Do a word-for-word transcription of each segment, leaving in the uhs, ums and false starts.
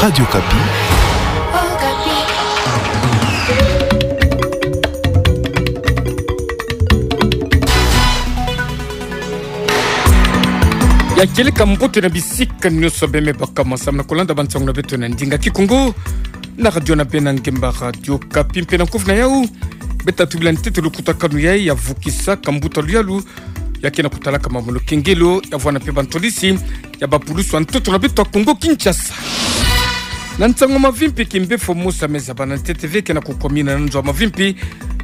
Radio Okapi. Ya kieleka mbote na bisika nyonso bemebaka ma samna kolanda bansangu na beto na ndinga Kikongo na radio na bena ngemba Radio Okapi mpe na nkovu na yau. Beta tubila ntete lukutakanu yai ya vukisaka mbuta luyalu ya ke na kutalaka mambu na lukengelo ya vwanda mpe bantwadisi ya bapulusu ya ntoto na beto ya Kongo Kinshasa. Na nsangu mavimpi, kimbefo mosi ya meza bana ntete ve ke na kukomina na nzo mavimpi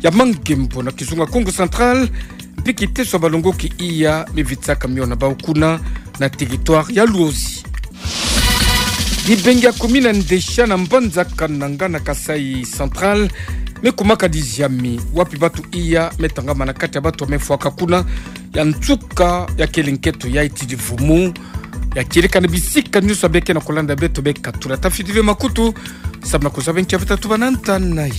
ya Mangembo na kizunga Kongo Central, mpi kiteso ya balongoki iya mevitsaka miona bau kuna na territoire ya Luozi. Dibenge ya kumina ndesha na mbanza Kananga na Kasaï Central mekumaka diziami, wapi batu iya metangama na kati ya batu mefwaka kuna ya nsuka ya kele nketo ya iti divumu. Ya kieleka na bisika nyonso beke na kolanda beto beka tula tafiti ve makutu, samna kuzaba nkia beta tubana nta na yau.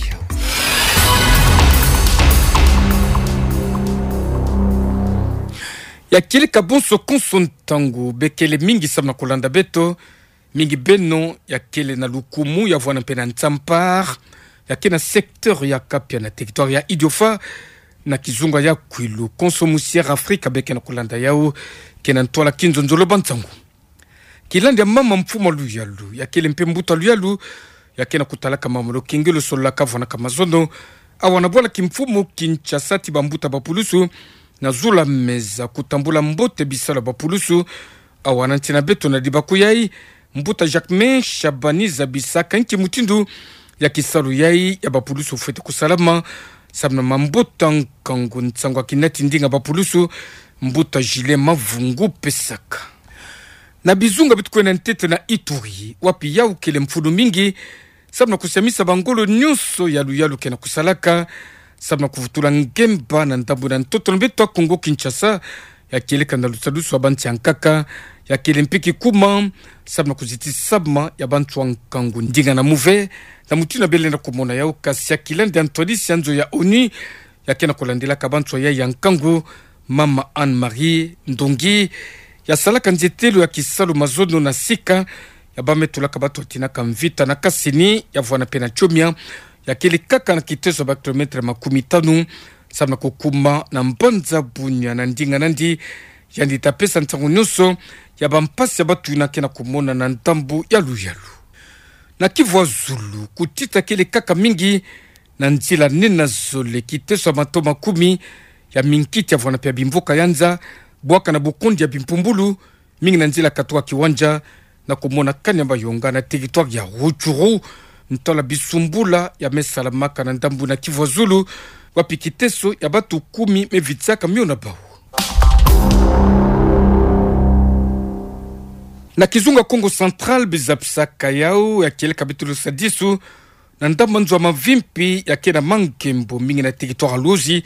Ya kieleka bonso konso ntangu, bekele mingi samna kolanda beto, mingi beno ya kele na lukumu ya vwanda mpe na Ntsampar, ya ke na secteur ya Kapia na territoire ya Idiofa, na kizunga ya Kwilu. Konso musi Air Afrika beke na kolanda yau, ke na ntwala kinzonzolo bansangu. Kilandi ya mama mfumu luyalu, ya kele mpe mbuta luyalu, ya ke na kutalaka mambu na lukengelo, sololaka vwanaka mazono awa na bwala kimfumu Kinshasa ti bambuta bapulusu na zula meza kutambula mbote bisalu ya bapulusu awa na nsi na beto. Na dibaku yai, mbuta Jacquemain Shabani zabisaka nki mutindu ya kisalu yai ya bapulusu fwete kusalama, samna mambota nkangu nsangu ya kinati ndinga bapulusu, mbuta Gilles Mavungu pesaka. Na bizunga bi tukwenda ntete na Ituri, wapi yau kele mfunu mingi, samna kusiamisa bangolo nyonso ya luyalu ke na kusalaka, samna kuvutula ngemba na ndambu na ntoto na beto ya Kongo Kinshasa, ya kieleka na lusadusu ya bansi ya nkaka, ya kele mpe kikuma, samna kuzitisama ya bantu ya nkangu ndinga na muve, na mutindu ya bele na kumona yau. Kasi ya kilandi ya ntwadisi ya nzo ya ONU, ya ke na kulandelaka bantu yai ya nkangu, mama Anne-Marie Ndongi, ya salaka nzetelo ya kisalu mazono na sika ya bau me tulaka batu ya tinaka mvita na Kasini, ya vwanda mpe na Tchomia, ya kele kaka na kiteso ya ba kilomètre makumi tanu, samna kukuma na mbanza Bunia na ndinga nandi. Yandi ta pesa nsangu nyonso ya bampasi ya batu yina ke na kumona na ndambu ya luyalu. Na Kivu ya Zulu, kutita kele kaka mingi na nzila nina zole, kiteso ya mato makumi ya minkiti ya vwanda mpe ya bimvuka ya nza, bwaka na bukundi ya bimpumbulu, mingi na nzila katuka Kiwanja, na kumona kani ya Mayonga na territoire ya Rutshuru, ntwala bisumbula ya me salamaka na ndambu na Kivu ya Zulu, wapi kiteso ya batu kumi me vitsaka miona bau. Na kizunga Kongo Central, bizapisaka yau ya kieleka beto lusadisu na ndambu nzo ya mavimpi ya ke na Mangembo, mingi na territoire ya Luozi,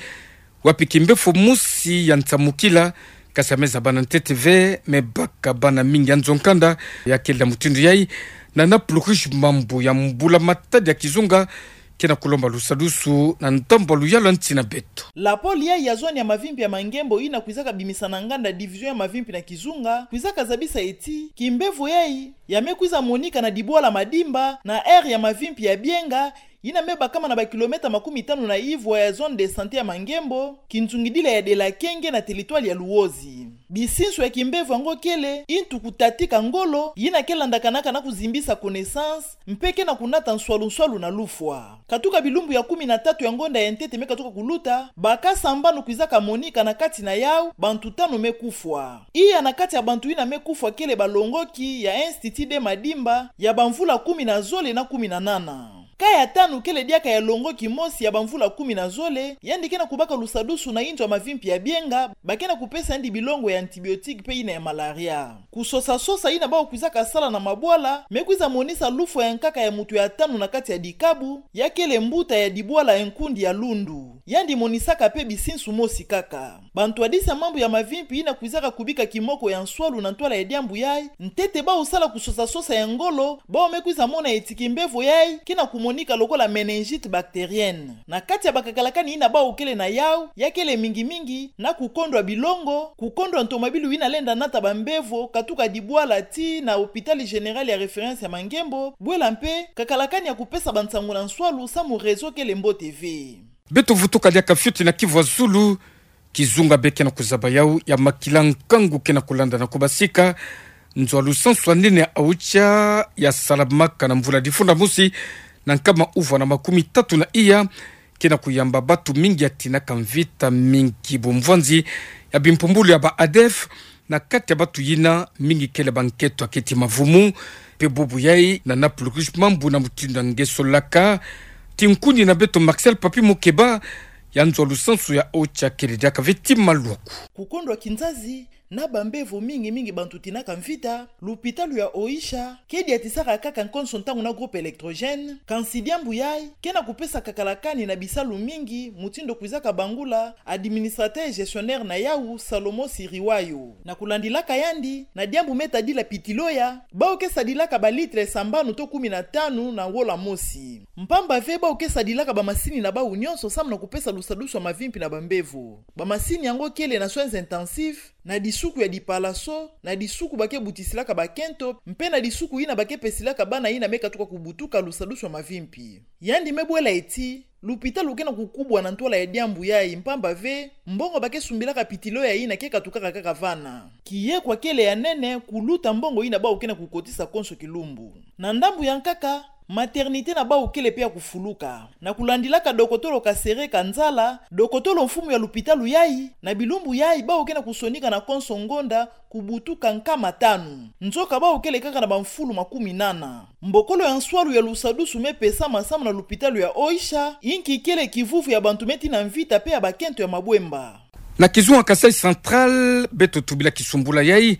wapi kimbefo mosi ya nsamukila, kasi ya me zaba na ntete ve, me baka bana mingi ya nzo nkanda, ya kele na mutindu yai, na Naples Rouge, mambu ya mbula matadi ya kizunga ke na kulomba lusadusu na ndambu ya luyalu ya nsi na beto. La pôle yai ya zone ya mavimpi ya Mangembo yina kwizaka bimisa na nganda division ya mavimpi na kizunga, kwizaka zabisa ti kimbevo yai ya me kwiza monika na dibwala Madimba, na aire ya mavimpi ya Bienga, yina me bakama na ba kilomètre makumi tanu na ivwa ya zone de santé ya Mangembo, kinzungidila ya Delakenge na territoire ya Luozi. Bisinsu ya kimbevo yango kele ntu kutatika ngolo, yina ke landakanaka na kuzimbisa connaissance, mpe ke na kunata nswalu-nswalu na lufwa. Katuka bilumbu ya kumi na tatu ya ngonda ya ntete me katuka kuluta, bakasa mbano kwizaka monika na kati na yau, bantu tanu me kufwa. Iya na kati ya bantu yina me kufwa kele balongoki ya Institut de Madimba ya bamvula kumi na zole na kumi na nana. Ka ya tanu kele diaka ya longoki mosi ya bamvula kumi na zole, yandi ke na kubaka lusadusu na inzo ya mavimpi ya Bienga, ba ke na kupesa yandi bilongo ya antibiotique mpe yina ya malaria. Kusosa-sosa yina bau kwizaka sala na mabwala me kwiza monisa lufwa ya nkaka ya mutu ya tanu na kati ya dikabu, ya kele mbuta ya dibwala ya nkundi ya Lundu. Yandi monisaka mpe bisinsu mosi kaka. Bantwadisi ya mambu ya mavimpi yina kwizaka kubika kimoko ya nswalu na ntwala ya diambu yai, ntete bau sala kusosa-sosa ya ngolo, bau me kwiza mona ti kimbevo yai ke na kumo- sonika lokola méningite bactérienne. Na kati ya bakakalakani yina bau kele na yau, ya kele mingi mingi na kukondwa bilongo, kukondwa ntomabilu yina lenda nata bambevo, katuka dibwala tii na hôpital général ya référence ya Mangembo, bwela mpe kakalakani ya kupesa bansangu na nswalu samu réseau kele mbote ve. Beto vutuka diaka fioti na kivu ya zulu. Kizunga bê ke na kuzaba yau ya makila nkangu ke na kulanda na kubasika. Nzo ya lusansu ya nene ya OCHA ya salamaka na mvula difunda mosi na nkama uvwa na makumi tatu na iya ke na kuyamba batu mingi ya tinaka mvita mingi bumvwanzi ya bimpumbulu ya ba ADF. Na kati ya batu yina, mingi kele bankento ya keti mavumu, mpe bubu yai na napulukishi mambu na mutindu ya nge solaka. Tinkuni na beto Marcel Papi Mukeba, ya nzo ya lusansu ya OCHA kele diaka ve ti maluaku. Kukondwa kinzazi na bambevo mingi mingi bantu tinaka mvita, lupitalu ya OCHA ke diatisaka kaka nkonso ntangu na groupe électrogène, kansi diambu yai ke na kupesa kakalakani na bisalu mingi, mutindu kwizaka bangula administrateur gestionnaire na yau, Salomo Siriwayo. Na kulandilaka yandi, na diambu me tadila pitilo ya, bau ke sadilaka balitre sambanu to kumi na tanu na wola mosi. Mpamba ve bau ke sadilaka bamasini na bau nyonso samu na kupesa lusadusu ya mavimpi na bambevo. Bamasini yango kele na soins intensifs, na disuku ya dipalaso, na disuku ba ke butisilaka bakento, mpe na disuku yina ba ke pesilaka bana yina me katuka kubutuka lusadusu ya mavimpi. Yandi me bwela ti, lupitalu ke na kukubwa na ntwala ya diambu yai, mpamba ve mbongo ba ke sumbilaka pitilo ya yina ke katukaka kaka vana. Kiyekwa kele ya nene kuluta mbongo yina bau ke na kukotisa konso kilumbu. Na ndambu ya nkaka, maternité na bau kele mpe ya kufuluka. Na kulandilaka dokotolo Kasereka Nzala, dokotolo mfumu ya lupitalu yai, na bilumbu yai bau ke na kusonika na konso ngonda kubutuka nkama tanu. Nzoka bau kele kaka na bamfulu makumi nana. Mbokolo ya nswalu ya lusadusu me pesama samu na lupitalu ya OCHA, inki kele kivuvu ya bantu me tina mvita mpe ya bakento ya mabwemba. Na kizunga Kasaï Central, beto tubila kisumbula yai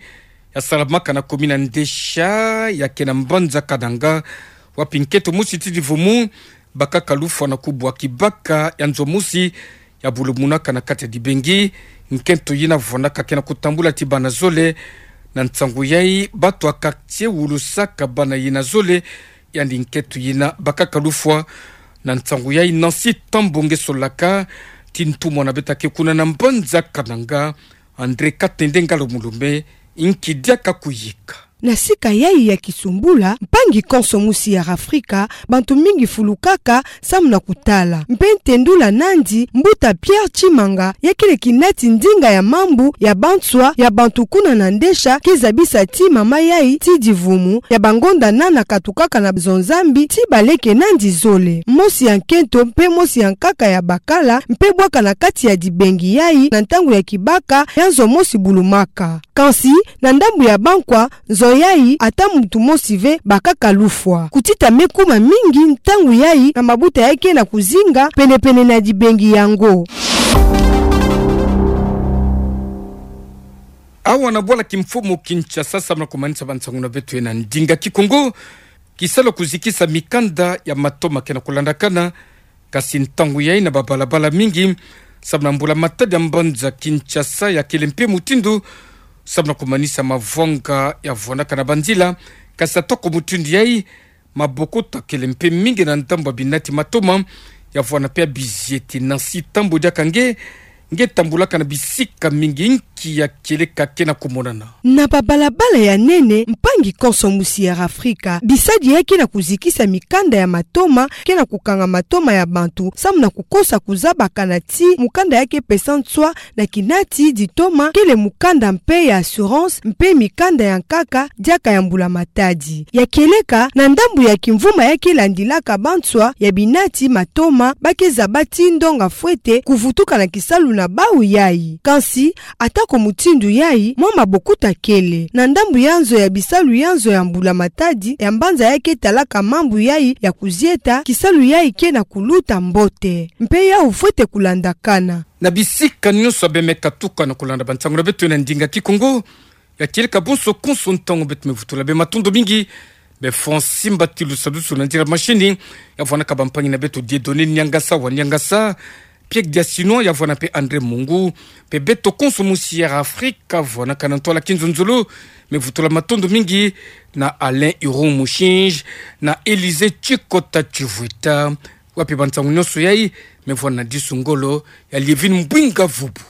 ya salamaka na commune ya Ndesha, ya ke na mbanza Kananga, wapi nkento mosi ti divumu bakaka lufwa na kubwa kibaka ya nzo mosi ya bulumunaka na kati ya dibengi. Nkento yina vwanaka ke na kutambula ti bana zole. Na nsangu yai, batu ya quartier wulusaka bana yina zole, yandi nkento yina bakaka lufwa. Na nsangu yai, Nancy Tambo nge solaka ti ntumwa na beto ya ke kuna na mbanza Kananga, André Katende Ngalo Mulume, inki diaka kuyika. Na sika yai ya kisumbula, mpangi konso mosi ya Afrika, bantu mingi fulukaka samu na kutala. Mpe ntendula nandi, mbuta Pierre Tshimanga, ya kele kinati ndinga ya mambu ya banswa ya bantu kuna na Ndesha, ke zabisa ti mama yai ti divumu ya bangonda nana katukaka na nzo Nzambi ti baleke nandi zole. Mosi ya nkento mpe mosi ya nkaka ya bakala mpe bwaka na kati ya dibengi yai na ntangu ya kibaka ya nzo mosi bulumaka. Kansi, na ndambu ya bankwa, nzo yai ata muntu mosi ve bakaka lufwa. Kutita me kuma mingi ntangu yai na mabuta ya ke na kuzinga penepene na dibengi yango. Awa na bwala kimfumu Kinshasa, samu na kumanisa bansangu na beto na ndinga Kikongo, kisalu ya kuzikisa mikanda ya matoma ke na kulandakana. Kasi ntangu yai na babalabala mingi, samu na mbula-matadi ya mbanza Kinshasa, ya kele mpe mutindu samu na kumanisa mavwanga ya vwanaka na banzila. Kasi atako mutindu yai, mabokuta kele mpe mingi na ndambu ya binati matoma ya vwana mpe ya bizieti. Nancy Tambo diaka nge, nge tambulaka na bisika mingi, inki ya kieleka ke na kumonana? Na babalabala ya nene, mpangi konso mosi ya Afrika, bisadi ya ke na kuzikisa mikanda ya matoma ke na kukanga matoma ya bantu samu na kukosa kuzabakana ti mukanda ya ke pesa nswa na kinati ditoma kele mukanda mpe ya assurance mpe mikanda ya nkaka diaka ya mbula-matadi. Ya kieleka, na ndambu ya kimvuma ya ke landilaka banswa ya binati matoma, ba ke zaba ti ndonga fwete kuvutuka na kisalu na bau yai. Kansi, atako mutindu yai, mwa mabokuta kele. Na ndambu ya nzo ya bisalu ya nzo ya mbula-matadi ya mbanza ya ke talaka mambu yai ya kuzieta, kisalu yai ke na kuluta mbote. Mpe yau fwete kulandakana. Na bisika nyonso bê me katuka na kulanda bansangu na beto na ndinga Kikongo, ya kieleka bonso konso ntangu beto me vutula bê, matondo mingi. Bê Francis Mbatilu sadusu na nzila machine, ya vwanaka bampangi na beto Dieudonné Niangasa wa Niangasa, Piek Diasinoa, ya vwena pe André Mungu, pe beto konso musi Air Afrique, vwena kana ntwala ki nzunzulu. Mevutula matondo mingi na Alain Iron Mushinji, na Élysée Chikota Chivweta, wa pe ba nsangu nyonso yayi, mevwena disu ngolo ya Lievine Mbwinga Vubu.